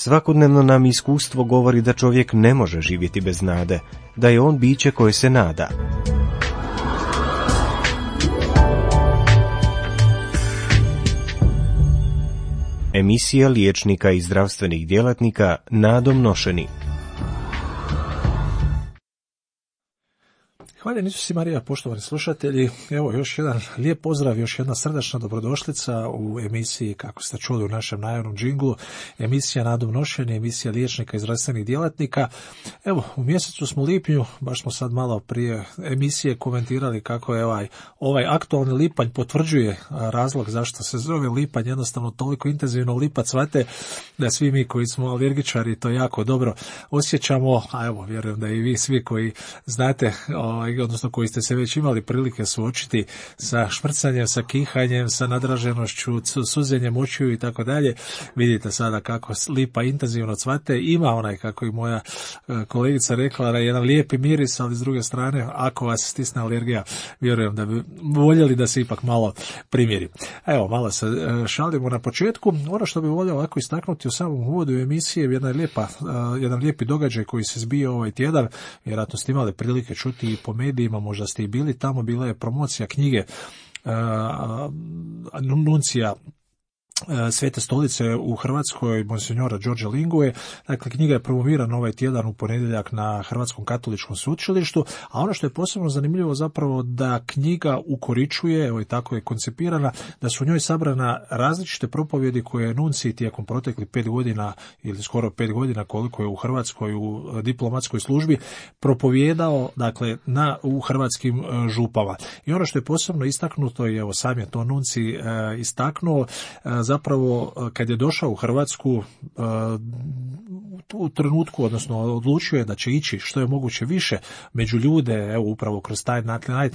Svakodnevno nam iskustvo govori da čovjek ne može živjeti bez nade, da je on biće koje se nada. Emisija liječnika i zdravstvenih djelatnika nadom nošeni. Hvala Isus Marija, poštovani slušatelji. Evo još jedan lijep pozdrav, još jedna srdačna dobrodošlica u emisiji, kako ste čuli u našem najavnom džinglu, emisija nadom nošeni, emisija liječnika i zdravstvenih djelatnika. Evo, u mjesecu smo lipnju, baš smo sad malo prije emisije komentirali kako je ovaj aktualni lipanj potvrđuje razlog zašto se zove lipanj, jednostavno toliko intenzivno lipa cvate da svi mi koji smo alergičari to jako dobro osjećamo, a evo, vjerujem da i vi svi koji znate, odnosno koji ste se već imali prilike suočiti sa šmrcanjem, sa kihanjem, sa nadraženošću, suzenjem očiju i tako dalje. Vidite sada kako lipa intenzivno cvate. Ima onaj, kako i moja kolegica rekla, jedan lijepi miris, ali s druge strane, ako vas stisne alergija, vjerujem da bi voljeli da se ipak malo primjeri. Evo, malo se šalimo na početku. Ono što bih volio ovako istaknuti u samom uvodu emisije, jedan lijepi događaj koji se zbio ovaj tjedan, vjerojatno ste imali prilike čuti i po medijima, možda ste i bili tamo, bila je promocija knjige nuncija Svete stolice u Hrvatskoj, monsinjora Đorđa Lingue. Dakle, knjiga je promovirana ovaj tjedan u ponedjeljak na Hrvatskom katoličkom sveučilištu, a ono što je posebno zanimljivo zapravo da knjiga ukoričuje, evo i tako je koncipirana, da su u njoj sabrana različite propovjedi koje je nuncij tijekom proteklih 5 godina ili skoro 5 godina koliko je u Hrvatskoj u diplomatskoj službi propovijedao, dakle, u hrvatskim župama. I ono što je posebno istaknuto, i evo sam je to nuncij istaknuo, zapravo kad je došao u Hrvatsku u trenutku, odnosno odlučio je da će ići što je moguće više među ljude, evo upravo kroz taj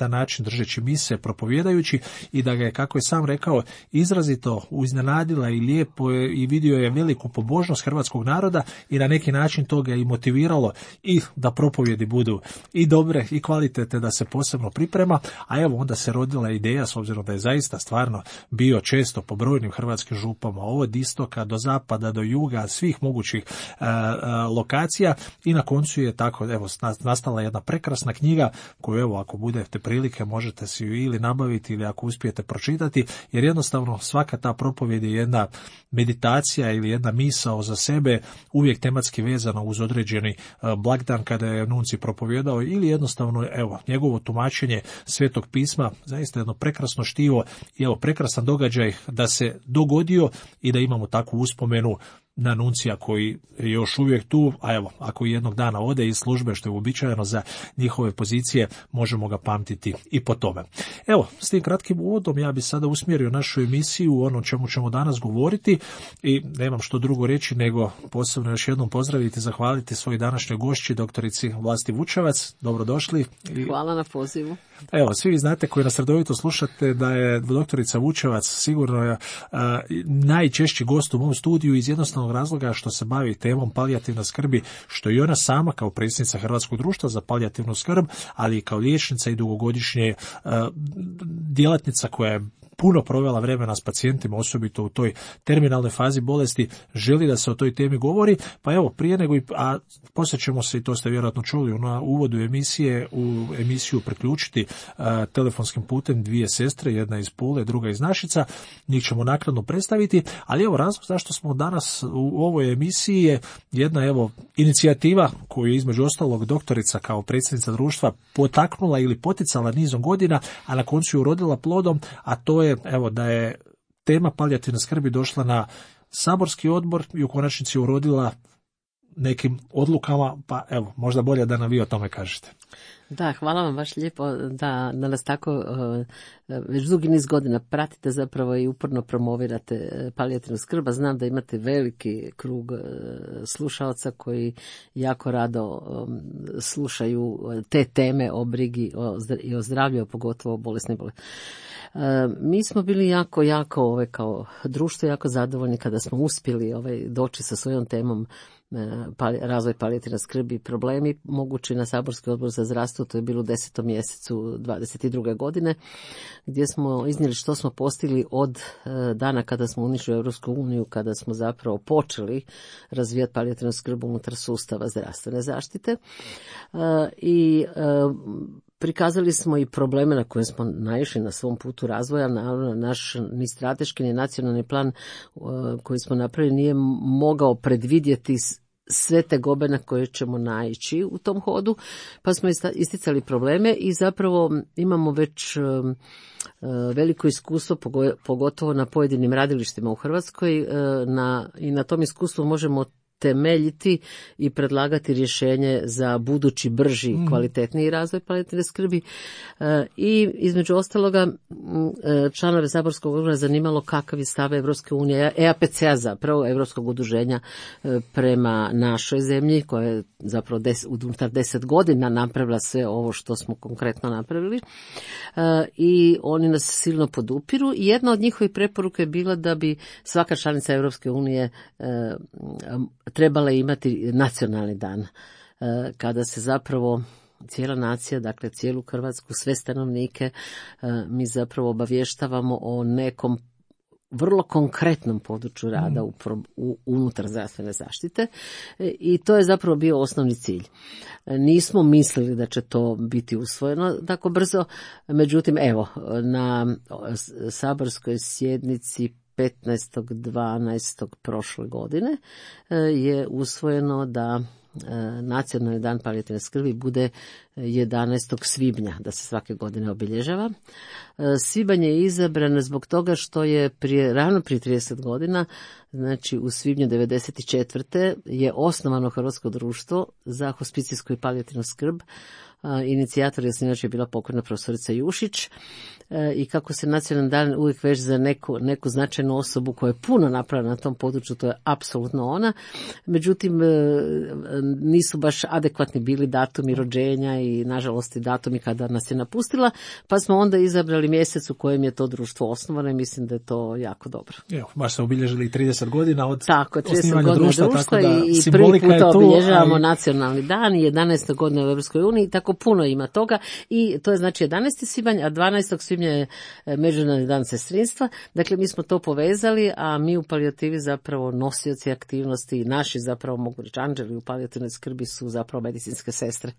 način držeći mise, propovjedajući, i da ga je, kako je sam rekao, izrazito iznenadila i lijepo i vidio je veliku pobožnost hrvatskog naroda i na neki način to ga je i motiviralo i da propovjedi budu i dobre i kvalitetne, da se posebno priprema, a evo onda se rodila ideja, s obzirom da je zaista stvarno bio često po brojnim hrvatskim župama, od istoka do zapada, do juga, svih mogućih lokacija, i na koncu je tako, evo, nastala jedna prekrasna knjiga koju, evo, ako budete prilike možete si ju ili nabaviti ili ako uspijete pročitati, jer jednostavno svaka ta propovjed je jedna meditacija ili jedna misao za sebe, uvijek tematski vezana uz određeni blagdan kada je nuncij propovjedao, ili jednostavno, evo, njegovo tumačenje Svetog pisma, zaista jedno prekrasno štivo i evo prekrasan događaj da se dogodio i da imamo takvu uspomenu na nuncija koji je još uvijek tu, a evo, ako jednog dana ode iz službe, što je uobičajeno za njihove pozicije, možemo ga pamtiti i po tome. Evo, s tim kratkim uvodom ja bi sada usmjerio našu emisiju u ono čemu ćemo danas govoriti i nemam što drugo reći nego posebno još jednom pozdraviti i zahvaliti svoj današnjoj gošći, doktorici Vlasti Vučevac. Dobrodošli. Hvala na pozivu. Evo, svi vi znate koji nas redovito slušate da je doktorica Vučevac sigurno najčešći gost u mom studiju iz jednostavnog razloga što se bavi temom palijativne skrbi, što i ona sama kao predsjednica Hrvatskog društva za palijativnu skrb, ali i kao liječnica i dugogodišnje djelatnica koja je puno provela vremena s pacijentima, osobito u toj terminalnoj fazi bolesti, želi da se o toj temi govori, pa evo, prije nego a poslije ćemo se, i to ste vjerojatno čuli na uvodu emisije, u emisiju priključiti telefonskim putem dvije sestre, jedna iz Pule, druga iz Našica, njih ćemo naknadno predstaviti, ali evo razlog zašto smo danas u ovoj emisiji je jedna, evo, inicijativa koju je između ostalog doktorica kao predsjednica društva potaknula ili poticala nizom godina, a na koncu ju urodila plodom, a to je, evo, da je tema palijativne skrbi došla na saborski odbor i u konačnici urodila nekim odlukama, pa evo, možda bolje da nam vi o tome kažete. Da, hvala vam baš lijepo da nas tako već dugi niz godina pratite zapravo i uporno promovirate palijativnu skrb. Znam da imate veliki krug slušalca koji jako rado slušaju te teme o brigi i o zdravlju, pogotovo o bolesnim bolestima. Mi smo bili jako kao društvo jako zadovoljni kada smo uspjeli doći sa svojom temom razvoj palijativne skrbi i problemi mogući na Saborski odbor za zdravstvo, to je bilo u 10. mjesecu 22. godine, gdje smo iznijeli što smo postigli od dana kada smo unišli Europsku uniju, kada smo zapravo počeli razvijati palijativnu skrb unutar sustava zdravstvene zaštite. I prikazali smo i probleme na koje smo naišli na svom putu razvoja. Naš ni strateški ni nacionalni plan koji smo napravili nije mogao predvidjeti sve te gobe na koje ćemo naići u tom hodu, pa smo isticali probleme i zapravo imamo već veliko iskustvo, pogotovo na pojedinim radilištima u Hrvatskoj, i na tom iskustvu možemo temeljiti i predlagati rješenje za budući brži, kvalitetniji razvoj palijativne skrbi. I između ostaloga članove Saborskog odbora zanimalo kakav je stav Evropske unije, EAPC-a zapravo, Europskog udruženja prema našoj zemlji, koja je zapravo unutar 10 godina napravila sve ovo što smo konkretno napravili. I oni nas silno podupiru. I jedna od njihovih preporuka je bila da bi svaka članica Europske unije trebala imati nacionalni dan, kada se zapravo cijela nacija, dakle cijelu Hrvatsku, sve stanovnike, mi zapravo obavještavamo o nekom vrlo konkretnom području rada unutar zdravstvene zaštite, i to je zapravo bio osnovni cilj. Nismo mislili da će to biti usvojeno tako brzo, međutim evo, na saborskoj sjednici 15.12. prošle godine je usvojeno da Nacionalni dan palijativne skrbi bude 11. svibnja, da se svake godine obilježava. Svibanj je izabran zbog toga što je ravno prije 30 godina, znači u svibnju 1994. je osnovano Hrvatsko društvo za hospicijsku i palijativnu skrb. Inicijator i osnivač je bila pokojna profesorica Jušić, i kako se nacionalni dan uvijek veže za neku značajnu osobu koja je puno napravila na tom području, to je apsolutno ona. Međutim, nisu baš adekvatni bili datumi rođenja i nažalost i datumi kada nas je napustila, pa smo onda izabrali mjesec u kojem je to društvo osnovano i mislim da je to jako dobro. Evo, baš se obilježili 30 godina od osnivanja društva, tako da i prvi puta obilježavamo nacionalni dan i 11. godine u Europskoj uniji, tako puno ima toga, i to je znači 11. svibanj, a 12. svibnja je Međunarodni dan sestrinstva. Dakle, mi smo to povezali, a mi u palijativi zapravo nosioci aktivnosti, naši zapravo mogu reći anđeli u palijativnoj skrbi su zapravo medicinske sestre.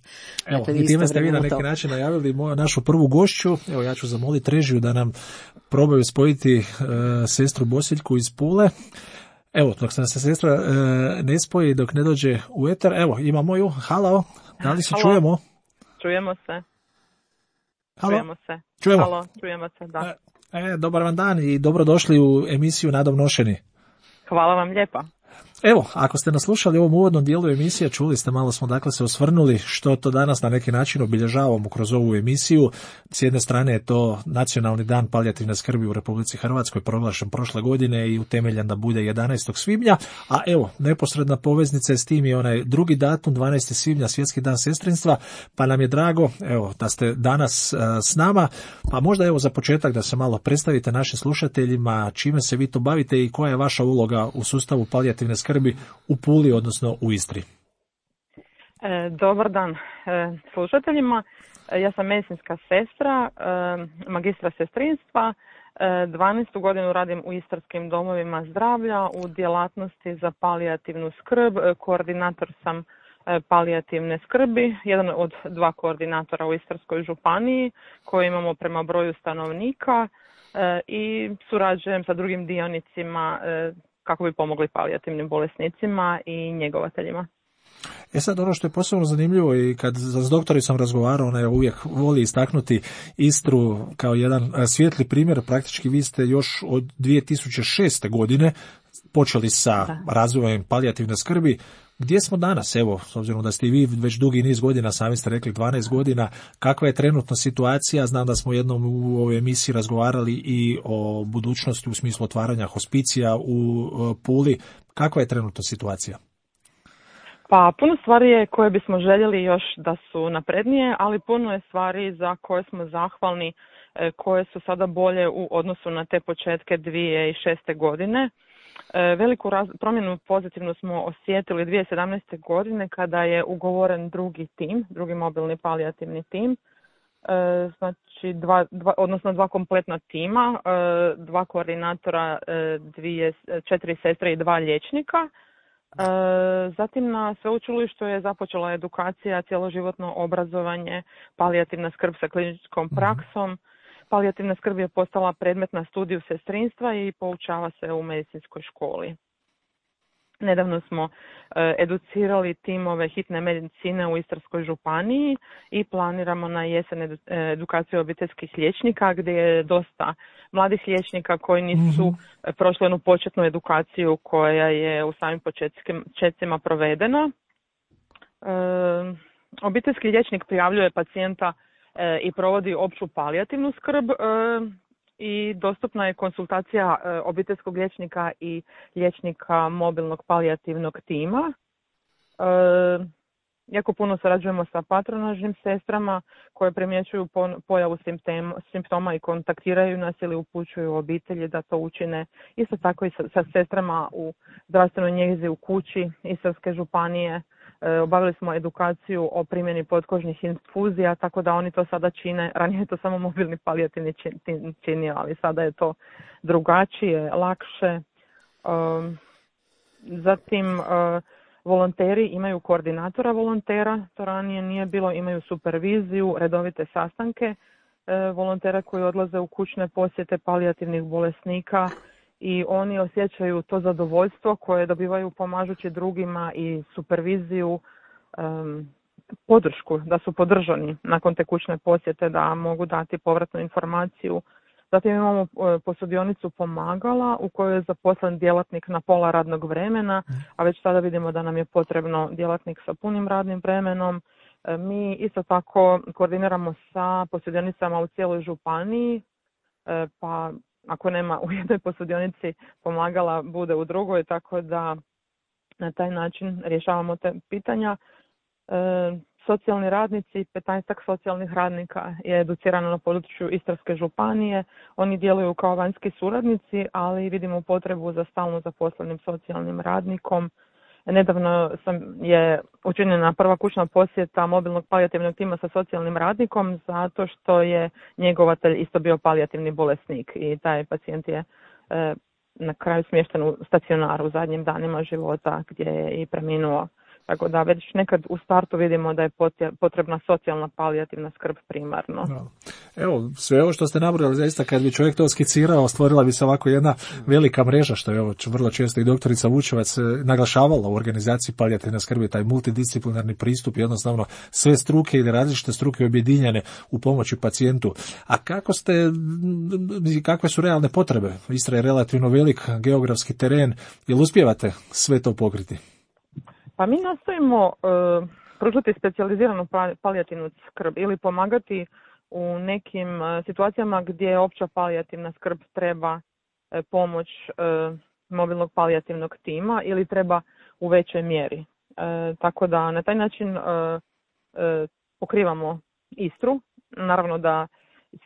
Evo, i time ste vi na neki način najavili našu prvu gošću. Evo, ja ću zamoliti režiju da nam probaju spojiti sestru Bosiljku iz Pule. Evo, dok se sestra ne spoji, dok ne dođe u eter, evo, imamo ju. Halo, da li se čujemo? Čujemo se. Halo? Čujemo se. Čujemo. Halo, čujemo se, da. Dobar vam dan i dobrodošli u emisiju Nadom nošeni. Hvala vam lijepa. Evo, ako ste nas slušali u ovom uvodnom dijelu emisije, čuli ste, malo smo dakle se osvrnuli što to danas na neki način obilježavamo kroz ovu emisiju. S jedne strane je to Nacionalni dan palijativne skrbi u Republici Hrvatskoj, proglašen prošle godine i utemeljen da bude 11. svibnja, a evo, neposredna poveznica je s tim i onaj drugi datum, 12. svibnja, Svjetski dan sestrinstva, pa nam je drago, evo, da ste danas s nama, pa možda evo za početak da se malo predstavite našim slušateljima, čime se vi to bavite i koja je vaša uloga u sustavu palijativne skrbi u Puli, odnosno u Istri. Dobar dan slušateljima. Ja sam medicinska sestra, magistra sestrinstva. 12. godinu radim u istarskim domovima zdravlja u djelatnosti za palijativnu skrb. Koordinator sam palijativne skrbi, jedan od 2 koordinatora u Istarskoj županiji koje imamo prema broju stanovnika, i surađujem sa drugim dionicima kako bi pomogli palijativnim bolesnicima i njegovateljima. Sad ono što je posebno zanimljivo i kad s doktorom sam razgovarao, ona je uvijek voli istaknuti Istru kao jedan svijetli primjer. Praktički vi ste još od 2006. godine počeli sa razvojem palijativne skrbi. Gdje smo danas, evo, s obzirom da ste i vi već dugi niz godina, sami ste rekli 12 godina, kakva je trenutno situacija? Znam da smo jednom u ovoj emisiji razgovarali i o budućnosti u smislu otvaranja hospicija u Puli. Kakva je trenutno situacija? Pa puno stvari je koje bismo željeli još da su naprednije, ali puno je stvari za koje smo zahvalni, koje su sada bolje u odnosu na te početke 2006. godine. Veliku promjenu pozitivnu smo osjetili 2017. godine kada je ugovoren drugi mobilni palijativni tim. Znači dva kompletna tima, 2 koordinatora, 4 sestre i 2 liječnika. Zatim na sveučilištu je započela edukacija, cjeloživotno obrazovanje, palijativna skrb sa kliničkom praksom. Palijativna skrb je postala predmet na studiju sestrinstva i poučava se u medicinskoj školi. Nedavno smo educirali timove hitne medicine u Istarskoj županiji i planiramo na jesen edukaciju obiteljskih liječnika gdje je dosta mladih liječnika koji nisu prošli onu početnu edukaciju koja je u samim početcima provedena. Obiteljski liječnik prijavljuje pacijenta i provodi opću palijativnu skrb i dostupna je konsultacija obiteljskog liječnika i liječnika mobilnog palijativnog tima. Jako puno surađujemo sa patronažnim sestrama koje primjećuju pojavu simptoma i kontaktiraju nas ili upućuju obitelji da to učine. Isto tako i sa sestrama u zdravstvenoj njezi u kući Istarske županije. Obavili smo edukaciju o primjeni potkožnih infuzija, tako da oni to sada čine. Ranije je to samo mobilni palijativni činio, ali sada je to drugačije, lakše. Zatim, volonteri imaju koordinatora volontera, to ranije nije bilo, imaju superviziju, redovite sastanke volontera koji odlaze u kućne posjete palijativnih bolesnika i oni osjećaju to zadovoljstvo koje dobivaju pomažući drugima i superviziju, podršku, da su podržani nakon te kućne posjete, da mogu dati povratnu informaciju. Zatim imamo posudionicu pomagala u kojoj je zaposlen djelatnik na pola radnog vremena, a već sada vidimo da nam je potrebno djelatnik sa punim radnim vremenom. Mi isto tako koordiniramo sa posudionicama u cijeloj županiji, pa ako nema u jednoj posudionici pomagala, bude u drugoj, tako da na taj način rješavamo te pitanja. Socijalni radnici, 15 socijalnih radnika je educirano na području Istarske županije. Oni djeluju kao vanjski suradnici, ali vidimo potrebu za stalno zaposlenim socijalnim radnikom. Nedavno je učinjena prva kućna posjeta mobilnog palijativnog tima sa socijalnim radnikom zato što je njegovatelj isto bio palijativni bolesnik i taj pacijent je na kraju smješten u stacionaru u zadnjim danima života gdje je i preminuo. Tako da već nekad u startu vidimo da je potrebna socijalna palijativna skrb primarno. No. Evo, sve ovo što ste nabrojali, zaista kad bi čovjek to skicirao, stvorila bi se ovako jedna velika mreža, što je ovo vrlo često i doktorica Vučevac naglašavala u organizaciji palijativne skrbi, taj multidisciplinarni pristup, jednostavno sve struke ili različite struke objedinjene u pomoći pacijentu. A kakve su realne potrebe? Istra je relativno velik geografski teren, jel uspijevate sve to pokriti? Pa mi nastojimo pružati specijaliziranu palijativnu skrb ili pomagati u nekim situacijama gdje opća palijativna skrb treba pomoć mobilnog palijativnog tima ili treba u većoj mjeri. Tako da na taj način pokrivamo Istru. Naravno da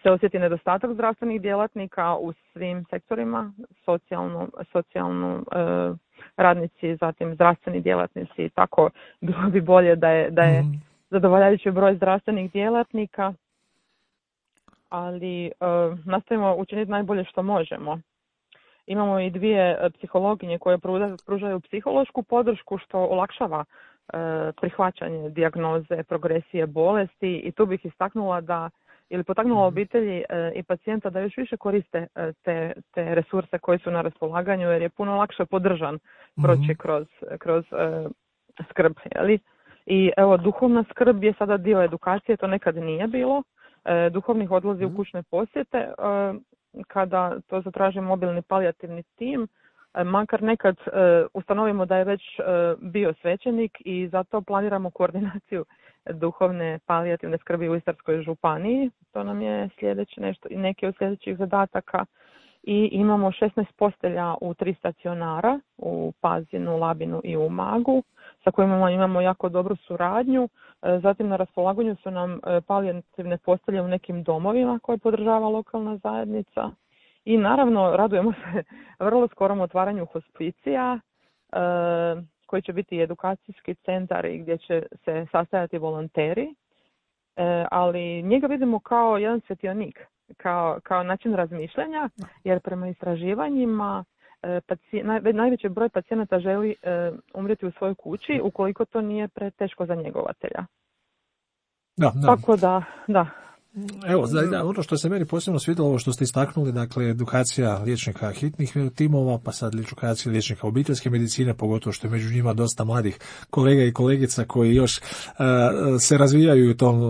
se osjeti nedostatak zdravstvenih djelatnika u svim sektorima, socijalno radnici, zatim zdravstveni djelatnici, tako bilo bi bolje da je zadovoljavajući broj zdravstvenih djelatnika, ali nastojimo učiniti najbolje što možemo. Imamo i 2 psihologinje koje pružaju psihološku podršku što olakšava prihvaćanje dijagnoze, progresije bolesti i tu bih istaknula potaknula obitelji i pacijenta da još više koriste te resurse koji su na raspolaganju jer je puno lakše podržan proći kroz skrb. Jeli? I evo, duhovna skrb je sada dio edukacije, to nekad nije bilo. Duhovnih odlazi u kućne posjete kada to zatraži mobilni palijativni tim, makar nekad ustanovimo da je već bio svećenik i zato planiramo koordinaciju duhovne palijativne skrbi u Istarskoj županiji. To nam je neki od sljedećih zadataka. I imamo 16 postelja u 3 stacionara, u Pazinu, Labinu i u Umagu, sa kojima imamo jako dobru suradnju. Zatim na raspolaganju su nam palijativne postelje u nekim domovima koje podržava lokalna zajednica. I naravno radujemo se vrlo skorom otvaranju hospicija koji će biti edukacijski centar i gdje će se sastajati volonteri, ali njega vidimo kao jedan svjetionik, kao način razmišljanja, jer prema istraživanjima najveći broj pacijenata želi umrijeti u svojoj kući ukoliko to nije preteško za njegovatelja. Da. Tako da. Evo, ono što se meni posebno svidjelo, ovo što ste istaknuli, dakle, edukacija liječnika hitnih timova, pa sad edukacija liječnika obiteljske medicine, pogotovo što je među njima dosta mladih kolega i kolegica koji još se razvijaju u tom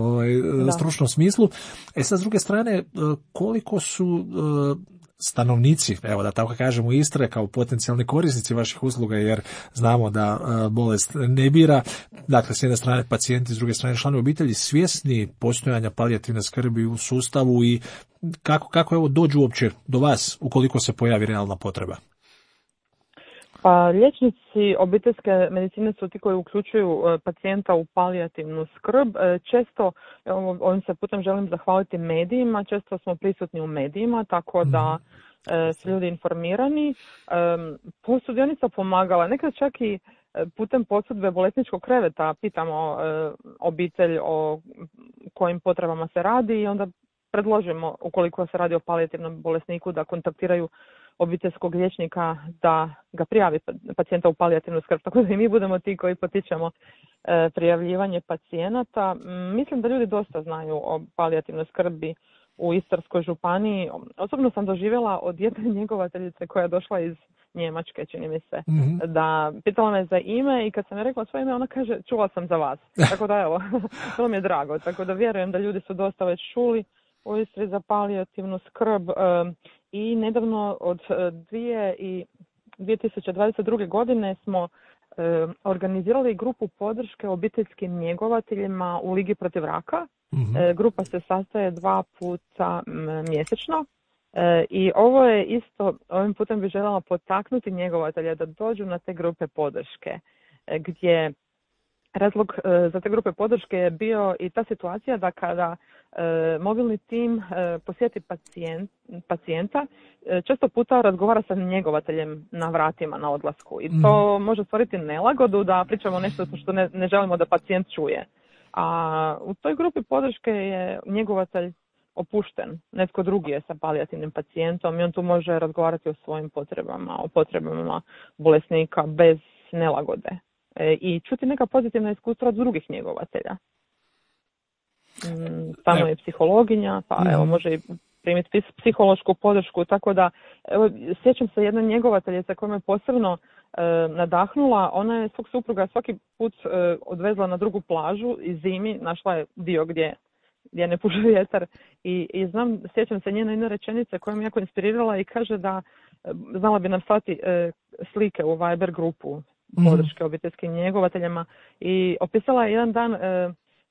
stručnom smislu. Sad, s druge strane, koliko su stanovnici, evo da tako kažemo, Istre kao potencijalni korisnici vaših usluga, jer znamo da bolest ne bira, dakle s jedne strane pacijenti, s druge strane članovi obitelji, svjesni postojanja palijativne skrbi u sustavu i kako evo dođu uopće do vas ukoliko se pojavi realna potreba? Pa liječnici obiteljske medicine su ti koji uključuju pacijenta u palijativnu skrb. Često, ovim se putem želim zahvaliti medijima, često smo prisutni u medijima, tako da su ljudi informirani. Sudionica pomagala, nekad čak i putem posudbe bolesničkog kreveta pitamo obitelj o kojim potrebama se radi i onda predložimo, ukoliko se radi o palijativnom bolesniku, da kontaktiraju obiteljskog liječnika da ga prijavi pacijenta u palijativnu skrb. Tako da i mi budemo ti koji potičemo prijavljivanje pacijenata. Mislim da ljudi dosta znaju o palijativnoj skrbi u Istarskoj županiji. Osobno sam doživjela od jedne njegovateljice koja je došla iz Njemačke, čini mi se, da pitala me za ime i kad sam je rekla svoje ime, ona kaže čula sam za vas. Tako da evo, to mi je drago. Tako da vjerujem da ljudi su dosta već čuli u Istri za palijativnu skrb i nedavno od 2022. godine smo organizirali grupu podrške obiteljskim njegovateljima u Ligi protiv raka. Grupa se sastaje 2 puta mjesečno i ovo je isto, ovim putem bih željela potaknuti njegovatelja da dođu na te grupe podrške, gdje razlog za te grupe podrške je bio i ta situacija da kada mobilni tim posjeti pacijenta, često puta razgovara sa njegovateljem na vratima, na odlasku. I to može stvoriti nelagodu da pričamo nešto što ne želimo da pacijent čuje. A u toj grupi podrške je njegovatelj opušten. Netko drugi je sa palijativnim pacijentom i on tu može razgovarati o svojim potrebama, o potrebama bolesnika bez nelagode. I čuti neka pozitivna iskustva od drugih njegovatelja. Tamo je psihologinja, pa evo može i primiti psihološku podršku, tako da evo, sjećam se jedne njegovateljice koja me posebno nadahnula. Ona je svog supruga svaki put odvezla na drugu plažu i zimi našla je dio gdje ne puše vjetar i sjećam se njene jedne rečenice koja me jako inspirirala i kaže da znala bi nam slati slike u Viber grupu podrške obiteljskim njegovateljima i opisala je jedan dan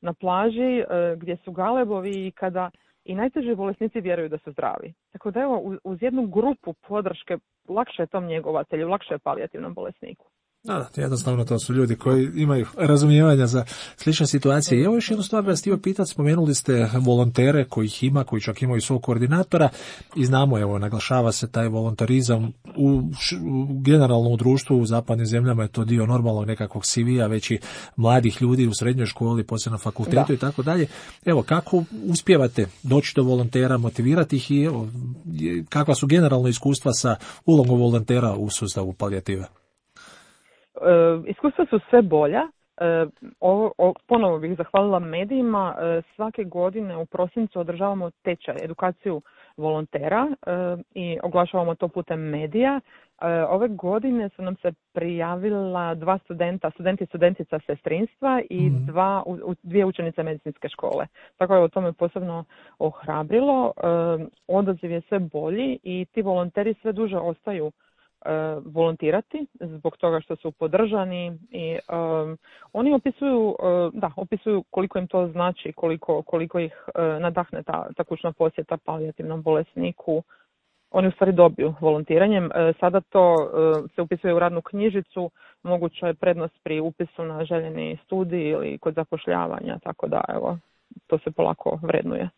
na plaži gdje su galebovi i kada i najteži bolesnici vjeruju da su zdravi. Tako da evo, uz jednu grupu podrške lakše je tom njegovatelju, lakše je palijativnom bolesniku. Da, jednostavno to su ljudi koji imaju razumijevanja za slične situacije. I evo još jednu stvar vas htio pitati, spomenuli ste volontere kojih ima, koji čak imaju svog koordinatora i znamo, evo, naglašava se taj volontarizam generalno u društvu, u zapadnim zemljama je to dio normalnog nekakvog CV-a, već i mladih ljudi u srednjoj školi, poslije na fakultetu i tako dalje. Evo, kako uspijevate doći do volontera, motivirati ih i evo, kakva su generalno iskustva sa ulogom volontera u sustavu palijative? Iskustva su sve bolja. Ponovo bih zahvalila medijima. Svake godine u prosincu održavamo tečaj, edukaciju volontera i oglašavamo to putem medija. Ove godine su nam se prijavila 2 studenti i studentica sestrinstva i 2 učenice medicinske škole. Tako je to me posebno ohrabrilo. Odaziv je sve bolji i ti volonteri sve duže ostaju volontirati zbog toga što su podržani i oni opisuju koliko im to znači, koliko ih nadahne ta kućna posjeta palijativnom bolesniku. Oni u stvari dobiju volontiranjem. Sada to se upisuje u radnu knjižicu, moguća je prednost pri upisu na željeni studij ili kod zapošljavanja, tako da evo, to se polako vrednuje.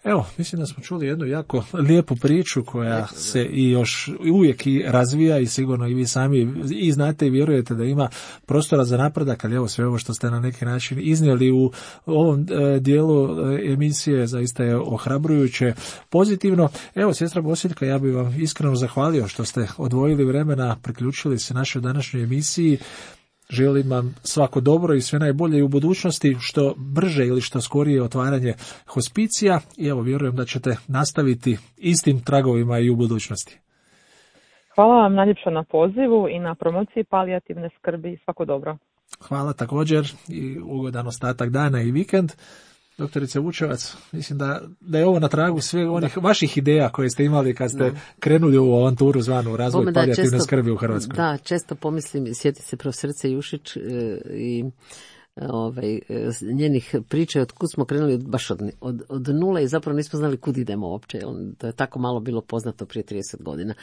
Evo, mislim da smo čuli jednu jako lijepu priču koja se i još uvijek i razvija i sigurno i vi sami i znate i vjerujete da ima prostora za napredak, ali evo sve ovo što ste na neki način iznijeli u ovom dijelu emisije zaista je ohrabrujuće, pozitivno. Evo, sestra Bosiljka, ja bih vam iskreno zahvalio što ste odvojili vremena, priključili se našoj današnjoj emisiji. Želim vam svako dobro i sve najbolje i u budućnosti, što brže ili što skorije otvaranje hospicija i evo vjerujem da ćete nastaviti istim tragovima i u budućnosti. Hvala vam najljepša na pozivu i na promociji palijativne skrbi. Svako dobro. Hvala također i ugodan ostatak dana i vikend. Doktorice Vučevac, mislim da je ovo na tragu sve onih vaših ideja koje ste imali kad ste krenuli u avanturu zvanu razvoj palijativne skrbi u Hrvatskoj. Da, često pomislim, sjeti se profesorice Jušić i njenih priča od kud smo krenuli baš od nule i zapravo nismo znali kud idemo uopće. To je tako malo bilo poznato prije 30 godina.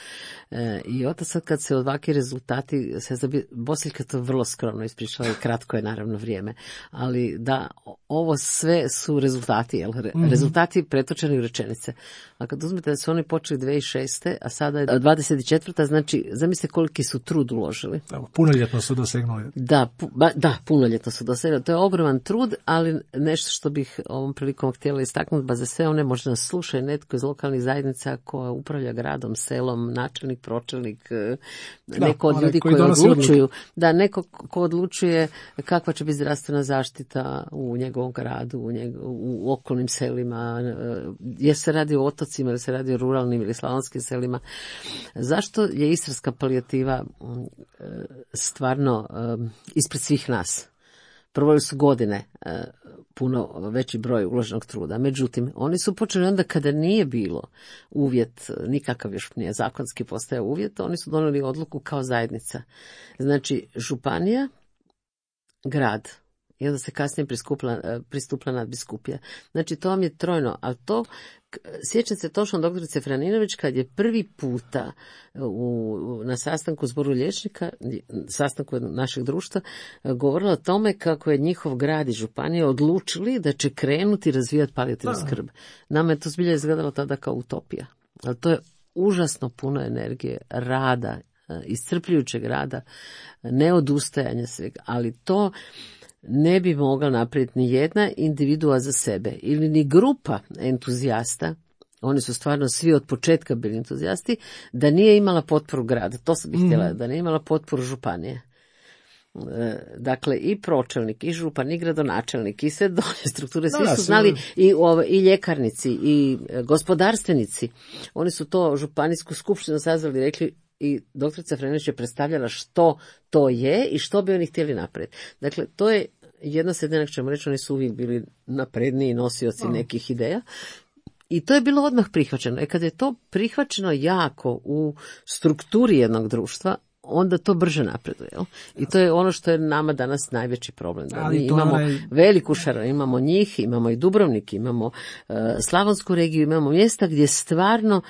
I od sad kad se ovakvi rezultati, Bosiljka to vrlo skromno ispričala i kratko je naravno vrijeme, ali da ovo sve su rezultati, rezultati pretočeni u rečenice. A kad uzmete da su oni počeli 2006. a sada je 24. znači zamislite koliki su trud uložili. Punoljetno su dosegnuli. Da, punoljetno su dosegli. To je ogroman trud, ali nešto što bih ovom prilikom htjela istaknuti, za sve one možda nas slušaju netko iz lokalnih zajednica koja upravlja gradom, selom, načelnik, pročelnik, neko od ljudi koji odlučuju, neko ko odlučuje kakva će biti zdravstvena zaštita u njegovom gradu, u okolnim selima, jer se radi o otocima, jer se radi o ruralnim ili slavonskim selima. Zašto je istarska palijativa stvarno ispred svih nas? Prvo su godine puno veći broj uloženog truda. Međutim, oni su počeli onda kada nije bilo uvjet, nikakav još nije zakonski postao uvjet, oni su donijeli odluku kao zajednica. Znači, županija, grad, i onda se kasnije pristupila nadbiskupija. Znači, to vam je trojno, ali to, sjećam se točno doktorice Franinović kad je prvi puta na sastanku zboru liječnika, sastanku našeg društva, govorila o tome kako je njihov grad i županija odlučili da će krenuti razvijati palijativnu skrb. Nama je to zbilja izgledalo tada kao utopija. Ali to je užasno puno energije, rada, iscrpljujućeg rada, neodustajanja svega, ali to ne bi mogla napraviti ni jedna individua za sebe ili ni grupa entuzijasta, oni su stvarno svi od početka bili entuzijasti, da nije imala potporu grada, to sam bih htjela, da nije imala potporu županije. Dakle, i pročelnik, i župan, i gradonačelnik, i sve dolje strukture, svi su znali, i ljekarnici, i gospodarstvenici. Oni su to županijsku skupštinu sazvali, rekli, i doktorica Frenović je predstavljala što to je i što bi oni htjeli napraviti. Dakle, to je jedna sredina, ćemo reći, oni su uvijek bili napredniji nosioci nekih ideja. I to je bilo odmah prihvaćeno. Kad je to prihvaćeno jako u strukturi jednog društva, onda to brže napreduje. I to je ono što je nama danas najveći problem. Da mi imamo veliku šaru, imamo njih, imamo i Dubrovnik, imamo Slavonsku regiju, imamo mjesta gdje stvarno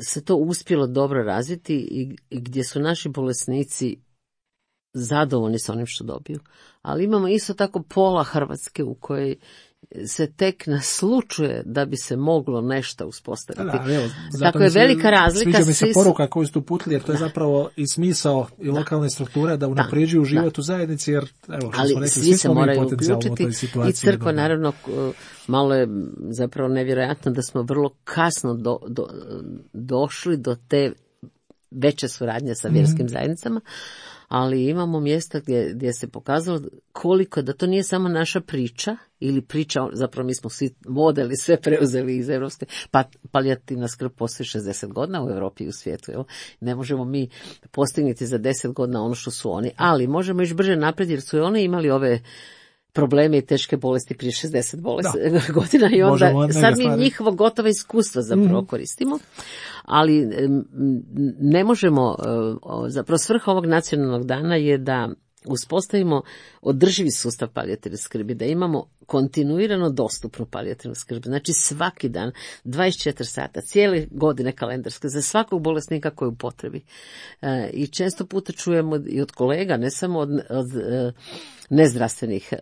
se to uspjelo dobro razviti i gdje su naši bolesnici zadovoljni s onim što dobiju. Ali imamo isto tako pola Hrvatske u kojoj se tek naslučuje da bi se moglo nešto uspostaviti. Tako je velika razlika. Sviđa mi se poruka koju ste uputili, jer to je zapravo i smisao i lokalne strukture da unapređuju život u zajednici, jer evo, što smo rekli, svi se moraju uključiti i crkva naravno, malo je zapravo nevjerojatno da smo vrlo kasno došli do te veće suradnje sa vjerskim zajednicama, ali imamo mjesta gdje se pokazalo koliko, da to nije samo naša priča, ili priča, zapravo mi smo svi modeli, sve preuzeli iz Europske, palijativna skrb postoji 60 godina u Europi i u svijetu. Jel? Ne možemo mi postignuti za 10 godina ono što su oni, ali možemo još brže naprijed, jer su oni imali ove probleme i teške bolesti prije 60 godina i onda sad mi njihovo gotova iskustva zapravo koristimo, ali ne možemo, zapravo svrha ovog nacionalnog dana je da uspostavimo održivi sustav palijativne skrbi, da imamo kontinuirano dostupnu palijativnu skrb, znači svaki dan, 24 sata, cijele godine kalendarske, za svakog bolesnika koji je u potrebi. I često puta čujemo i od kolega, ne samo od nezdravstvenih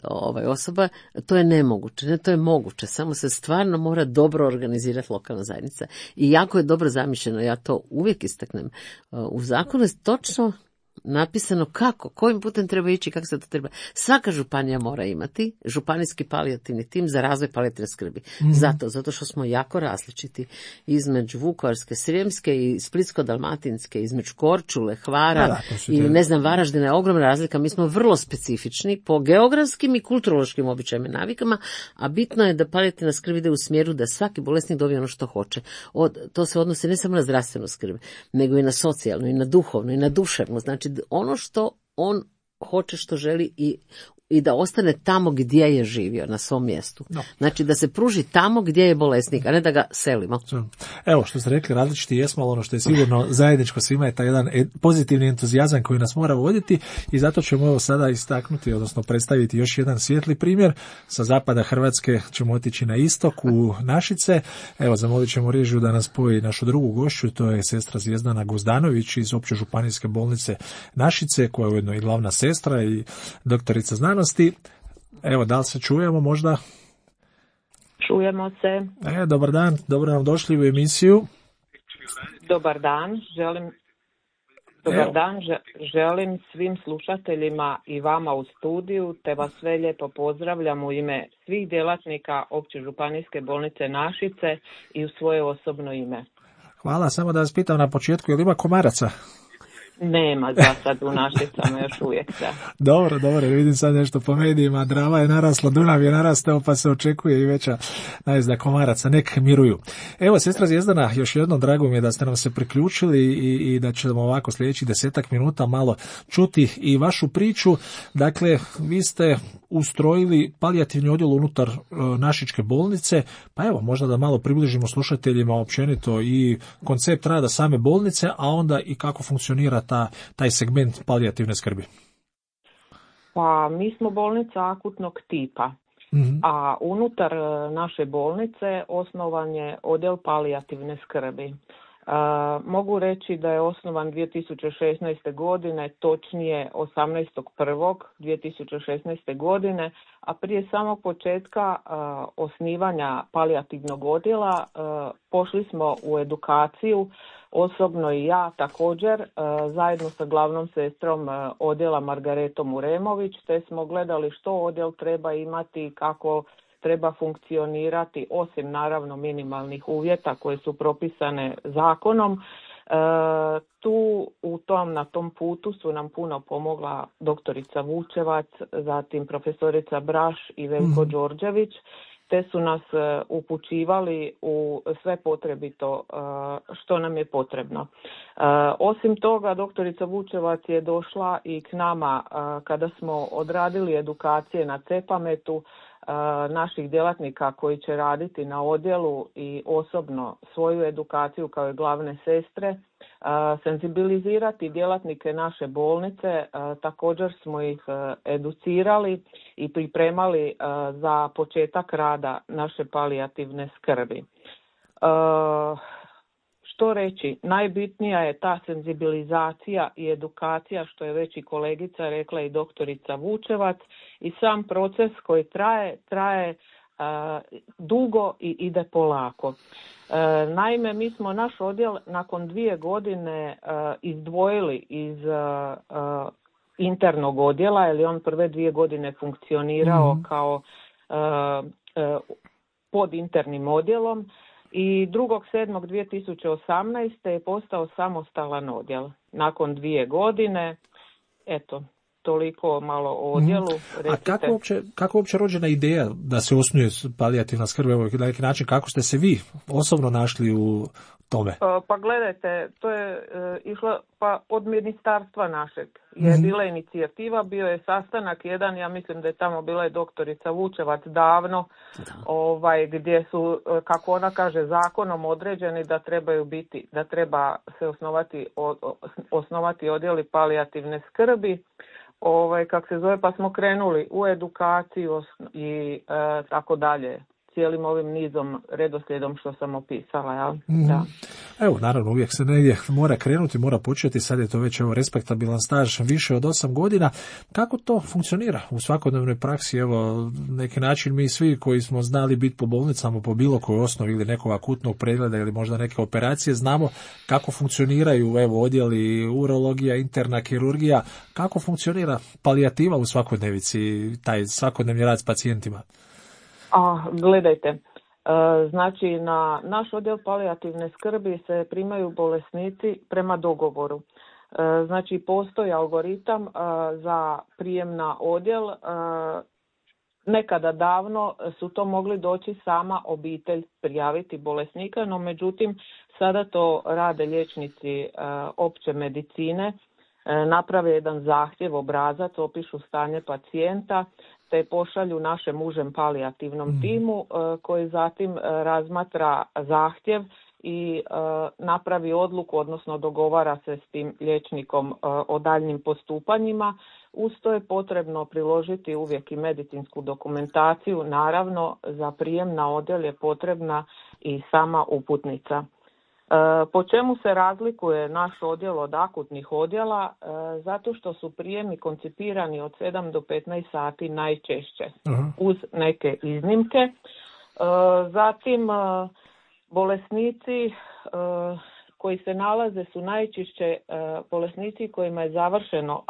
osoba, to je nemoguće, ne, to je moguće, samo se stvarno mora dobro organizirati lokalna zajednica. I jako je dobro zamišljeno, ja to uvijek istaknem. U zakonu je točno napisano kako, kojim putem treba ići, kako se to treba. Svaka županija mora imati županijski palijativni tim za razvoj palijativne skrbi. Zato što smo jako različiti između Vukovarske, Srijemske i Splitsko-dalmatinske, između Korčule, Hvara i Varaždina je ogromna razlika. Mi smo vrlo specifični po geografskim i kulturološkim običajima i navikama, a bitno je da palijativna skrb ide u smjeru da svaki bolesnik dobije ono što hoće. To se odnosi ne samo na zdravstvenu skrb, nego i na socijalnu, i na duhovnu, i na duševnu. Znači ono što on hoće, što želi i da ostane tamo gdje je živio, na svom mjestu. No. Znači da se pruži tamo gdje je bolesnik, a ne da ga selimo. Evo što ste rekli, različiti jesmo, ali ono što je sigurno zajedničko svima je taj jedan pozitivni entuzijazam koji nas mora voditi i zato ćemo evo sada istaknuti, odnosno predstaviti još jedan svijetli primjer. Sa zapada Hrvatske ćemo otići na istok u Našice. Evo, zamolit ćemo režiju da nas spoji našu drugu gošću, to je sestra Zvijezdana Guzdanović iz Opće županijske bolnice Našice, koja je ujedno i glavna sestra i doktorica znanosti. Evo, da li se čujemo možda? Čujemo se. Dobar dan, dobro nam došli u emisiju. Dobar dan, želim svim slušateljima i vama u studiju, te vas sve lijepo pozdravljam u ime svih djelatnika Opće županijske bolnice Našice i u svoje osobno ime. Hvala, samo da vas pitam na početku, je li ima komaraca? Nema za sad u Našicama još uvijek da. Dobro, vidim sad nešto po medijima, Drava je narasla, Dunav je narastao, pa se očekuje i veća najezda komaraca, nek miruju. Evo, sestra Zvijezdana, još jednom drago mi je da ste nam se priključili i da ćemo ovako sljedećih 10 minuta malo čuti i vašu priču. Dakle, vi ste ustrojili palijativni odjel unutar Našičke bolnice, pa evo, možda da malo približimo slušateljima općenito i koncept rada same bolnice, a onda i kako funkcionira taj segment palijativne skrbi. Pa mi smo bolnica akutnog tipa, a unutar naše bolnice osnovan je odjel palijativne skrbi. Mogu reći da je osnovan 2016. godine, točnije 18.1.2016. godine, a prije samog početka osnivanja palijativnog odjela pošli smo u edukaciju, osobno i ja također, zajedno sa glavnom sestrom odjela Margaretom Uremović, te smo gledali što odjel treba imati, kako treba funkcionirati, osim naravno minimalnih uvjeta koje su propisane zakonom. Na tom putu su nam puno pomogla doktorica Vučevac, zatim profesorica Braš i Veljko Đorđević, te su nas upućivali u sve potrebito što nam je potrebno. Osim toga, doktorica Vučevac je došla i k nama kada smo odradili edukacije na CEPAMET-u naših djelatnika koji će raditi na odjelu i osobno svoju edukaciju kao i glavne sestre, senzibilizirati djelatnike naše bolnice. Također smo ih educirali i pripremali za početak rada naše palijativne skrbi. Što reći, najbitnija je ta senzibilizacija i edukacija, što je već i kolegica rekla i doktorica Vučevac, i sam proces koji traje dugo i ide polako. Naime, mi smo naš odjel nakon 2 godine izdvojili iz internog odjela, jer je on prve 2 godine funkcionirao kao pod internim odjelom, i 2.7.2018. je postao samostalan odjel. Nakon 2 godine, eto, toliko malo o odjelu. A kako uopće rođena ideja da se osnuje palijativna skrb? Evo, na neki način, kako ste se vi osobno našli u tome? Pa gledajte, to je išlo od ministarstva našeg. je bila inicijativa, bio je sastanak jedan, ja mislim da je tamo bila i doktorica Vučevac davno, gdje su, kako ona kaže, zakonom određeni da treba se osnovati odjeli palijativne skrbi, pa smo krenuli u edukaciju i tako dalje, cijelim ovim nizom, redoslijedom što sam opisala. Ja? Da. Evo, naravno, uvijek se negdje mora krenuti, mora početi, sad je to već respektabilan staž više od 8 godina. Kako to funkcionira u svakodnevnoj praksi? Evo, neki način mi svi koji smo znali biti po bolnicama po bilo kojoj osnovi ili nekog akutnog pregleda ili možda neke operacije, znamo kako funkcioniraju odjeli urologija, interna kirurgija, kako funkcionira palijativa u svakodnevici, taj svakodnevni rad s pacijentima? Gledajte, znači na naš odjel palijativne skrbi se primaju bolesnici prema dogovoru. Znači postoji algoritam za prijem na odjel. Nekada davno su to mogli doći sama obitelj prijaviti bolesnika, no međutim sada to rade liječnici opće medicine, naprave jedan zahtjev, obrazac, opišu stanje pacijenta, te pošalju našem užem palijativnom timu koji zatim razmatra zahtjev i napravi odluku, odnosno dogovara se s tim liječnikom o daljnjim postupanjima. Uz to je potrebno priložiti uvijek i medicinsku dokumentaciju. Naravno, za prijem na odjel je potrebna i sama uputnica. Po čemu se razlikuje naš odjel od akutnih odjela? Zato što su prijemi koncipirani od 7 do 15 sati najčešće, uz neke iznimke. Zatim, bolesnici koji se nalaze su najčešće bolesnici kojima je završeno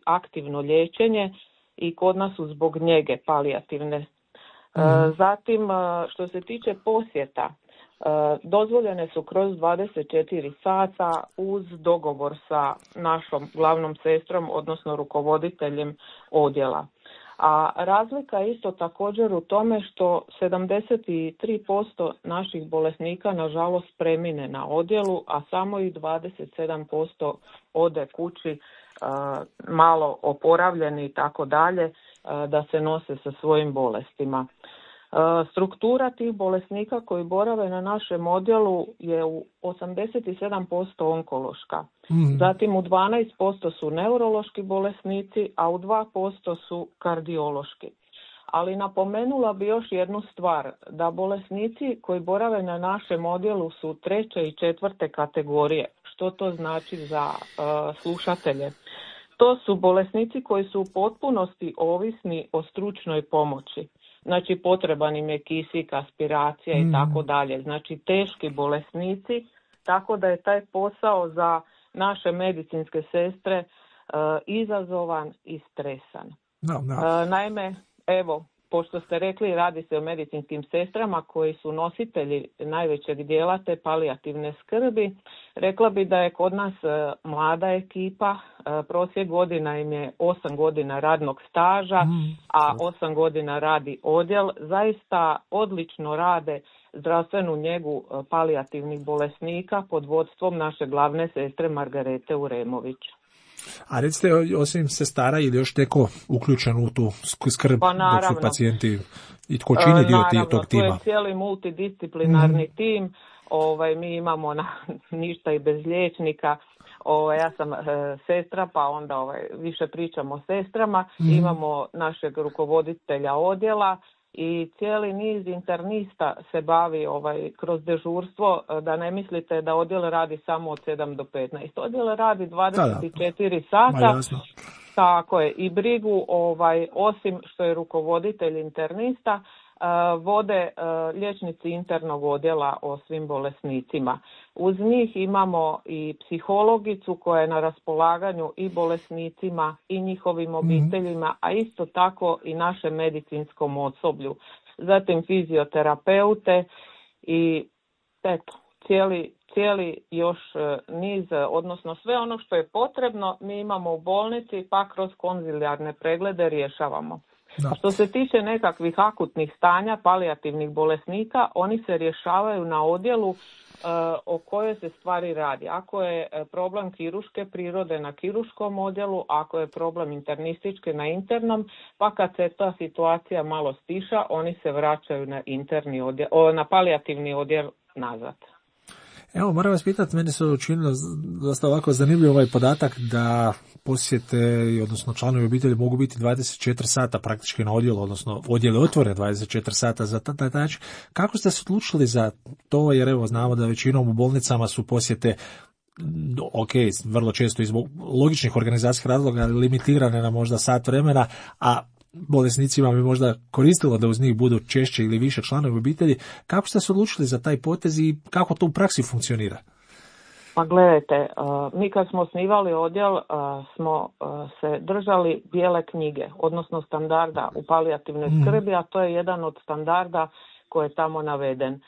aktivno liječenje i kod nas su zbog njege palijativne. Zatim, što se tiče posjeta, dozvoljene su kroz 24 sata uz dogovor sa našom glavnom sestrom, odnosno rukovoditeljem odjela. A razlika je isto također u tome što 73% naših bolesnika nažalost premine na odjelu, a samo i 27% ode kući malo oporavljeni i tako dalje da se nose sa svojim bolestima. Struktura tih bolesnika koji borave na našem odjelu je u 87% onkološka. Zatim u 12% su neurološki bolesnici, a u 2% su kardiološki. Ali napomenula bi još jednu stvar, da bolesnici koji borave na našem odjelu su 3. i 4. kategorije. Što to znači za slušatelje? To su bolesnici koji su u potpunosti ovisni o stručnoj pomoći. Znači potreban im je kisik, aspiracija i tako dalje. Znači teški bolesnici, tako da je taj posao za naše medicinske sestre izazovan i stresan. Naime, evo, pošto ste rekli, radi se o medicinskim sestrama koji su nositelji najvećeg dijela te palijativne skrbi. Rekla bi da je kod nas mlada ekipa, prosjek godina im je 8 godina radnog staža, a 8 godina radi odjel. Zaista odlično rade zdravstvenu njegu palijativnih bolesnika pod vodstvom naše glavne sestre Margarete Uremović. A recite, osim sestara ili još neko uključen u tu skrb dok su pacijenti i tko čini dio tog tima? To je cijeli multidisciplinarni tim. Mi imamo ništa i bez liječnika. Ja sam sestra, pa onda više pričamo o sestrama. Imamo našeg rukovoditelja odjela i cijeli niz internista se bavi kroz dežurstvo, da ne mislite da odjel radi samo od 7 do 15. Odjel radi 24 sata. Tako je. I brigu, osim što je rukovoditelj internista, vode liječnici internog odjela o svim bolesnicima. Uz njih imamo i psihologicu koja je na raspolaganju i bolesnicima i njihovim obiteljima, a isto tako i našem medicinskom osoblju. Zatim fizioterapeute i cijeli još niz, odnosno sve ono što je potrebno mi imamo u bolnici, pa kroz konzilijarne preglede rješavamo. Da. A što se tiče nekakvih akutnih stanja palijativnih bolesnika, oni se rješavaju na odjelu o kojoj se stvari radi. Ako je problem kirurške prirode na kirurškom odjelu, ako je problem internistički na internom, pa kad se ta situacija malo stiša, oni se vraćaju na interni odjel, na palijativni odjel nazad. Evo, moram vas pitati, meni se učinilo dosta ovako zanimljiv ovaj podatak da posjete, odnosno članovi obitelji mogu biti 24 sata praktički na odjelu, odnosno odjel je otvoren 24 sata za taj način. Kako ste se odlučili za to, jer evo znamo da većinom u bolnicama su posjete, ok, vrlo često iz logičnih organizacijskih razloga limitirane na možda sat vremena, a bolesnicima bi možda koristilo da uz njih budu češće ili više članovi obitelji. Kako ste se odlučili za taj potez i kako to u praksi funkcionira? Pa gledajte, mi kad smo osnivali odjel smo se držali bijele knjige, odnosno standarda u palijativnoj skrbi, a to je jedan od standarda koji je tamo naveden.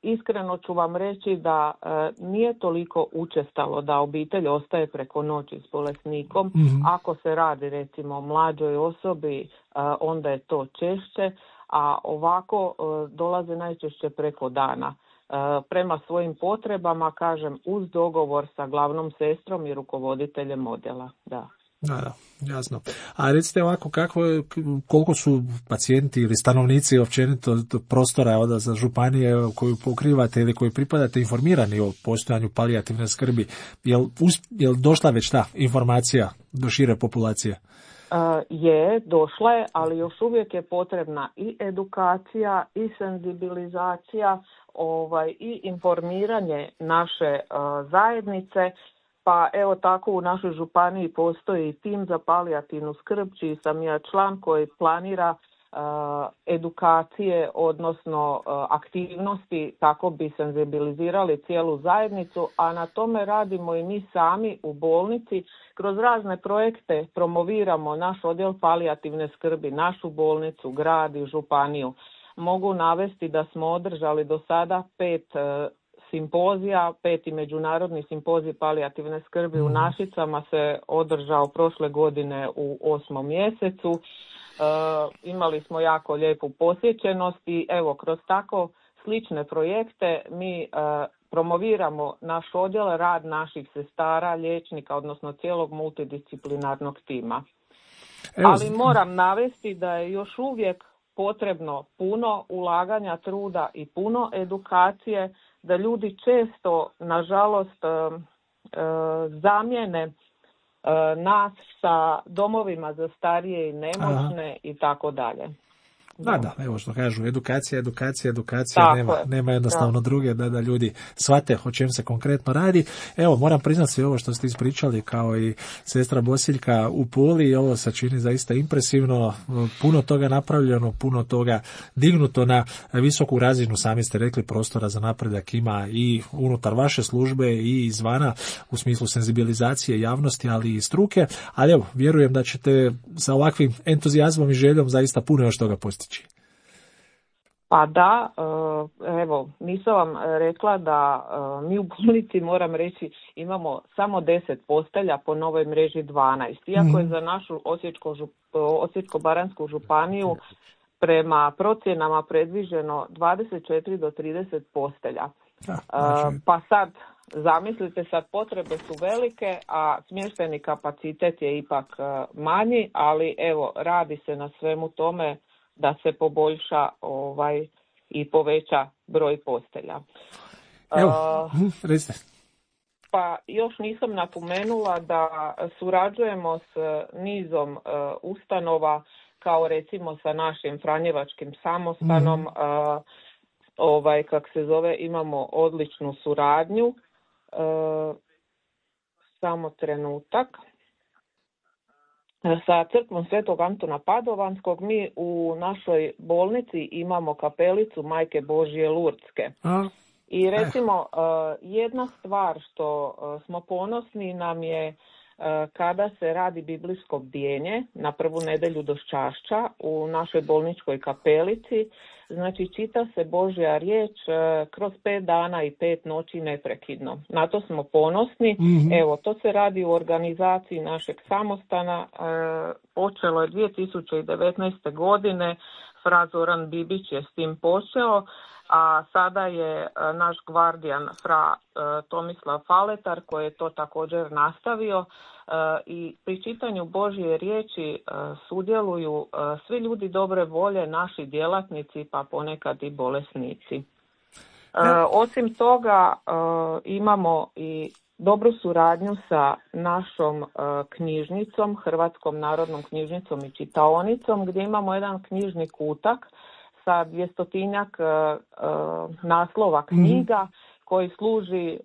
Iskreno ću vam reći da nije toliko učestalo da obitelj ostaje preko noći s bolesnikom. Ako se radi recimo o mlađoj osobi, onda je to češće, a ovako dolaze najčešće preko dana. Prema svojim potrebama, kažem, uz dogovor sa glavnom sestrom i rukovoditeljem odjela. Da. Da, jasno. A recite ovako, koliko su pacijenti ili stanovnici općenito prostora za županije koju pokrivate ili koju pripadate informirani o postojanju palijativne skrbi? Jel došla već ta informacija do šire populacije? Je, došla je, ali još uvijek je potrebna i edukacija i senzibilizacija i informiranje naše zajednice. Pa evo tako u našoj županiji postoji tim za palijativnu skrb, čiji sam ja član, koji planira edukacije, odnosno aktivnosti kako bi senzibilizirali cijelu zajednicu, a na tome radimo i mi sami u bolnici. Kroz razne projekte promoviramo naš odjel palijativne skrbi, našu bolnicu, grad i županiju. Mogu navesti da smo održali do sada 5 simpozija, 5. međunarodni simpozij palijativne skrbi u Našicama se održao prošle godine u 8. mjesecu. Imali smo jako lijepu posjećenost i evo kroz tako slične projekte mi promoviramo naš odjel, rad naših sestara, liječnika, odnosno cijelog multidisciplinarnog tima. Ali moram navesti da je još uvijek potrebno puno ulaganja, truda i puno edukacije, da ljudi često, nažalost, zamijene nas sa domovima za starije i nemoćne i tako dalje. Da, evo što kažu, edukacija, nema jednostavno druge da ljudi shvate o čem se konkretno radi. Evo, moram priznati sve ovo što ste ispričali, kao i sestra Bosiljka u Puli, ovo se čini zaista impresivno, puno toga napravljeno, puno toga dignuto na visoku razinu, sami ste rekli, prostora za napredak ima i unutar vaše službe i izvana u smislu senzibilizacije javnosti, ali i struke, ali evo, vjerujem da ćete sa ovakvim entuzijazmom i željom zaista puno još toga postići. Pa da, evo, nisam vam rekla da mi u bolnici, moram reći, imamo samo 10 postelja, po novoj mreži 12. Iako je za našu Osječko-baranjsku županiju prema procjenama predviđeno 24 do 30 postelja. Pa sad, zamislite, sad potrebe su velike, a smještajni kapacitet je ipak manji, ali evo, radi se na svemu tome da se poboljša i poveća broj postelja. Pa još nisam napomenula da surađujemo s nizom ustanova, kao recimo sa našim Franjevačkim samostanom, kak se zove, imamo odličnu suradnju. Samo trenutak. Sa crkvom Svetog Antuna Padovanskog mi u našoj bolnici imamo kapelicu Majke Božje Lurdske. I recimo jedna stvar što smo ponosni nam je kada se radi biblijsko bdjenje na prvu nedjelju Doščašća u našoj bolničkoj kapelici. Znači čita se Božja riječ kroz 5 dana i 5 noći neprekidno. Na to smo ponosni. Evo, to se radi u organizaciji našeg samostana počelo je 2019. godine, fra Zoran Bibić je s tim počeo, a sada je naš gvardijan fra Tomislav Faletar koji je to također nastavio i pri čitanju Božje riječi sudjeluju svi ljudi dobre volje, naši djelatnici pa ponekad i bolesnici. Osim toga imamo i dobru suradnju sa našom knjižnicom, Hrvatskom narodnom knjižnicom i čitaonicom, gdje imamo jedan knjižni kutak sa 200-tinjak naslova knjiga koji služi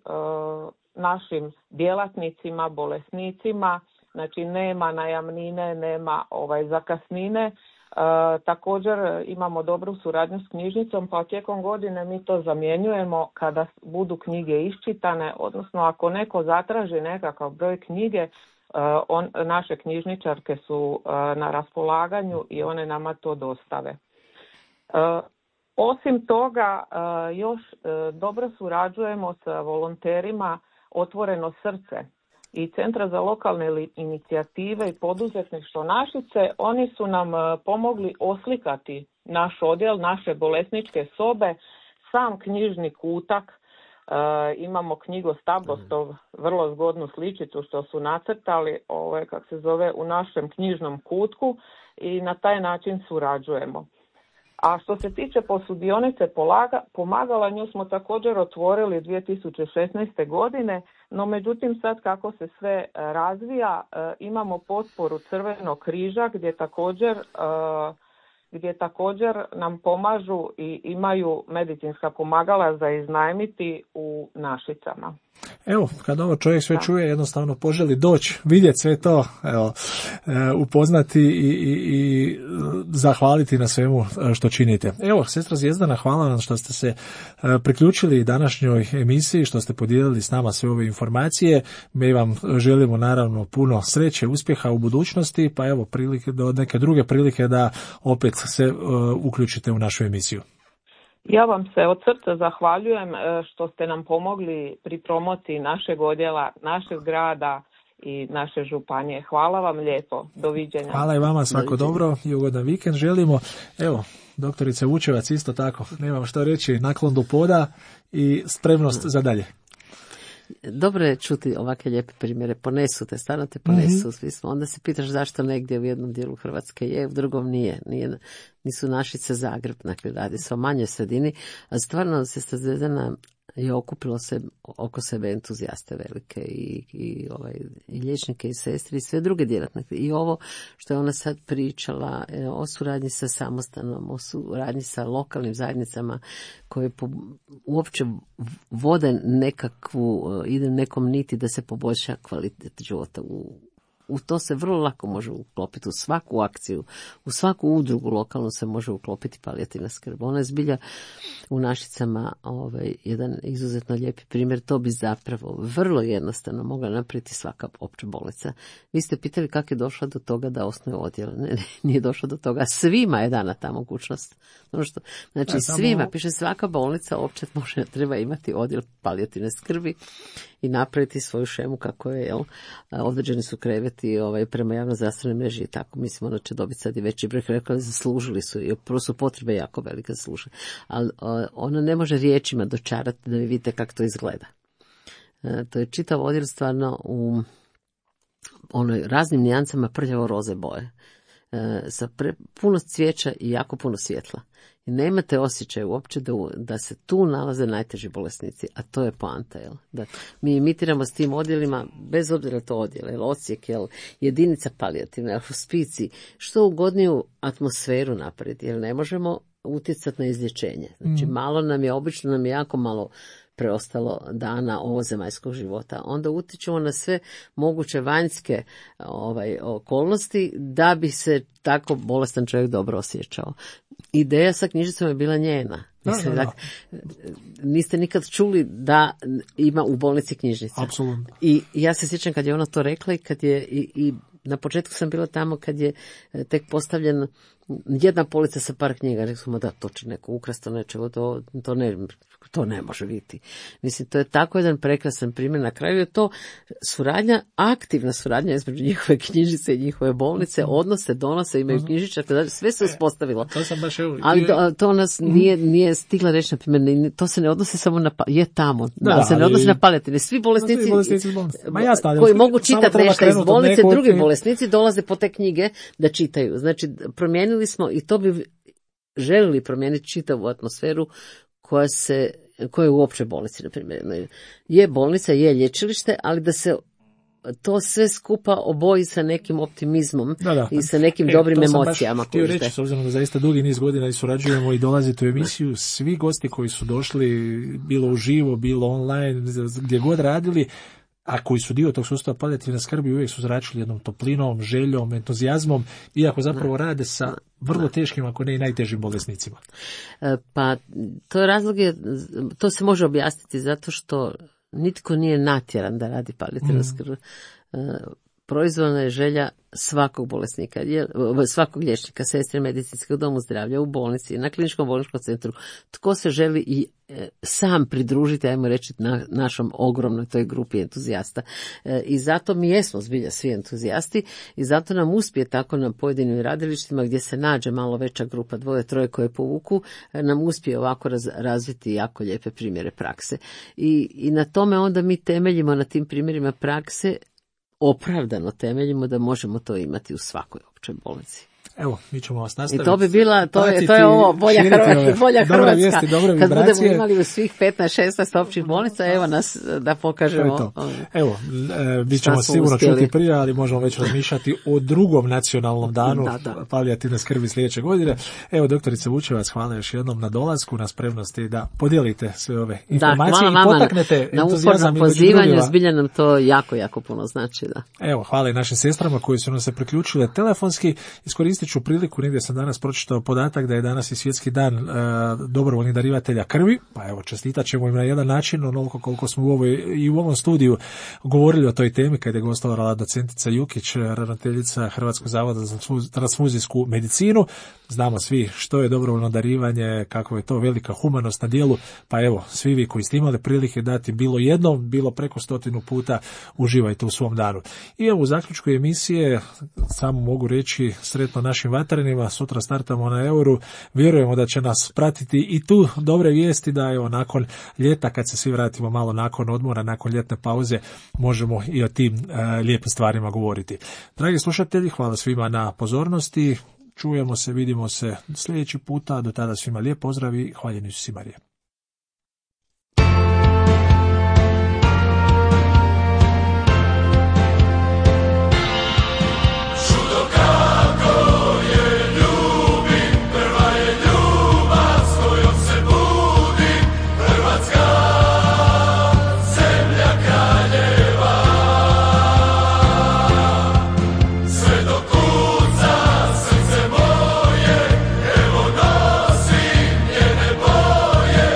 našim djelatnicima, bolesnicima, znači nema najamnine, nema zakasnine. Također imamo dobru suradnju s knjižnicom, pa tijekom godine mi to zamjenjujemo kada budu knjige iščitane, odnosno ako neko zatraži nekakav broj knjige, naše knjižničarke su na raspolaganju i one nama to dostave. Osim toga, još dobro surađujemo sa volonterima Otvoreno srce i Centra za lokalne inicijative i poduzetništvo Našice. Oni su nam pomogli oslikati naš odjel, naše bolesničke sobe, sam knjižni kutak. Imamo knjigostablostov, vrlo zgodnu sličicu što su nacrtali, kako se zove, u našem knjižnom kutku i na taj način surađujemo. A što se tiče posudionice pomagala, nju smo također otvorili 2016. godine, no međutim sad kako se sve razvija, imamo potporu Crvenog križa gdje također nam pomažu i imaju medicinska pomagala za iznajmiti u Našicama. Evo, kad ovo čovjek sve čuje, jednostavno poželi doći, vidjeti sve to, upoznati i zahvaliti na svemu što činite. Evo, sestra Zvijezdana, hvala vam što ste se priključili današnjoj emisiji, što ste podijelili s nama sve ove informacije. Mi vam želimo naravno puno sreće, uspjeha u budućnosti, pa evo, do neke druge prilike da opet se uključite u našu emisiju. Ja vam se od srca zahvaljujem što ste nam pomogli pri promociji našeg odjela, našeg grada i naše županije. Hvala vam lijepo. Doviđenja. Hvala i vama, svako dobro i ugodan vikend želimo. Evo, doktorice Vučevac isto tako, nemam što reći, naklon do poda i spremnost za dalje. Dobro je čuti ovakve lijepe primjere, ponesu te, stvarno te ponesu, onda se pitaš zašto negdje u jednom dijelu Hrvatske je, u drugom nije, nisu Našice Zagreb, dakle radi se o manjoj sredini, a stvarno se Zvijezdana je okupilo se oko sebe entuzijaste velike i liječnike i sestri i sve druge djelatnike. I ovo što je ona sad pričala o suradnji sa samostanom, o suradnji sa lokalnim zajednicama koje uopće vode ide nekom niti da se poboljša kvalitet života. U to se vrlo lako može uklopiti, u svaku akciju, u svaku udrugu lokalnu se može uklopiti palijativna skrb. Ona je zbilja u Našicama jedan izuzetno lijepi primjer. To bi zapravo vrlo jednostavno mogla napraviti svaka opća bolnica. Vi ste pitali kako je došla do toga da osnuje odjel. Ne, nije došla do toga. Svima je dana ta mogućnost. Znači svima, piše svaka bolnica opće treba imati odjel palijativne skrbi i napraviti svoju šemu kako je, određeni su kreveti prema javno-zdravstvenoj mreži i tako. Mislimo da će dobiti sad i veći broj kreveta, zaslužili su i prvo su potrebe jako velike zaslužili. Ali ona ne može riječima dočarati da vi vidite kako to izgleda. To je čitav odjel stvarno u raznim nijancama prljavo roze boje. Sa puno cvijeća i jako puno svjetla. I nemate osjećaj uopće da se tu nalaze najteži bolesnici, a to je poanta. Da mi imitiramo s tim odjelima, bez obzira to odjel, odsjek, jedinica palijativna, hospicij, što ugodniju atmosferu napraviti, jer ne možemo utjecati na izlječenje. Znači obično nam je jako malo preostalo dana ovozemaljskog života. Onda utječemo na sve moguće vanjske okolnosti da bi se tako bolestan čovjek dobro osjećao. Ideja sa knjižicom je bila njena. Niste nikad čuli da ima u bolnici knjižnica. Apsolutno. I ja se sjećam kad je ona to rekla i kad je i na početku sam bila tamo kad je tek postavljen jedna polica sa par knjiga. Rekli smo da to će neko ukrasti, nečego, to ne može biti. Mislim, to je tako jedan prekrasan primjer. Na kraju je to suradnja, aktivna suradnja između njihove knjižnice i njihove bolnice, odnose, donose, imaju knjižničar, sve se uspostavilo. To sam baš ali to nas nije stigla reći, na primjer, to se ne odnosi samo na, je tamo, se ne odnosi na palijativne. Svi bolesnici koji mogu čitati nešto iz bolnice, drugi bolesnici dolaze po te knjige da čitaju. Znači, promijenili smo, i to bi želili promijeniti čitavu atmosferu koja je u općoj bolnici, na primjer. Je bolnica, je lječilište, ali da se to sve skupa oboji sa nekim optimizmom i sa nekim dobrim emocijama. Htio reći, s obzirom da zaista dugi niz godina i surađujemo i dolazite u emisiju, svi gosti koji su došli, bilo uživo, bilo online, gdje god radili, a koji su dio tog sustava palijativne skrbi, uvijek su zračili jednom toplinom, željom, entuzijazmom, iako zapravo rade sa vrlo teškim, ako ne i najtežim bolesnicima. Pa to je razlog, to se može objasniti zato što nitko nije natjeran da radi palijativna skrb. Proizvoljna je želja svakog bolesnika, svakog liječnika, sestre medicinskog domu zdravlja, u bolnici, na kliničkom bolničkom centru. Tko se želi i sam pridružiti, ajmo reći, našom ogromnoj toj grupi entuzijasta. I zato mi jesmo zbilja svi entuzijasti i zato nam uspije tako na pojedinim radilištima gdje se nađe malo veća grupa, 2-3 koje povuku, nam uspije ovako razviti jako lijepe primjere prakse. I na tome onda mi temeljimo, na tim primjerima prakse, opravdano temeljimo da možemo to imati u svakoj općoj bolnici. Evo, mi ćemo vas nastaviti. I to bi bila, to je ovo, bolja Hrvatska. Vijesti, kad budemo imali u svih 15-16 općih bolnica, evo nas da pokažemo. Evo, mi ćemo sigurno čuti prije, ali možemo već razmišljati o drugom nacionalnom danu palijativne skrbi sljedeće godine. Evo, doktorice Vučevac, hvala još jednom na dolasku, na spremnosti da podijelite sve ove informacije i potaknete entuzijazam. Na upornom pozivanju, zbilja nam to jako, jako puno znači. Da. Evo, hvala i našim sestrama koji su nam se priključile telefonski. Iskoristit ću priliku, negdje sam danas pročitao podatak da je danas i svjetski dan dobrovoljnih darivatelja krvi, pa evo, čestitat ćemo im na jedan način, onoliko koliko smo u ovom studiju govorili o toj temi kada je gostovala docentica Jukić, ravnateljica Hrvatskog zavoda za transfuzijsku medicinu. Znamo svi što je dobrovoljno darivanje, kako je to velika humanost na djelu, pa evo, svi vi koji ste imali prilike dati bilo jednom, bilo preko 100 puta, uživajte u svom danu. I evo, u zaključku emisije samo mogu reći sretno našim vatrenima, sutra startamo na Euru, vjerujemo da će nas pratiti i tu dobre vijesti da evo, nakon ljeta, kad se svi vratimo malo nakon odmora, nakon ljetne pauze, možemo i o tim lijepim stvarima govoriti. Dragi slušatelji, hvala svima na pozornosti, čujemo se, vidimo se sljedeći puta, do tada svima lijep pozdrav i hvaljeni su si Marije. Evo nosim njene boje,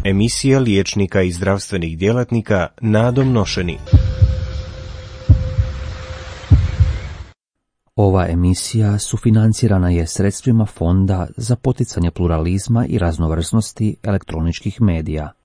Emisija liječnika i zdravstvenih djelatnika Nadom Nošeni. Ova emisija sufinancirana je sredstvima Fonda za poticanje pluralizma i raznovrsnosti elektroničkih medija.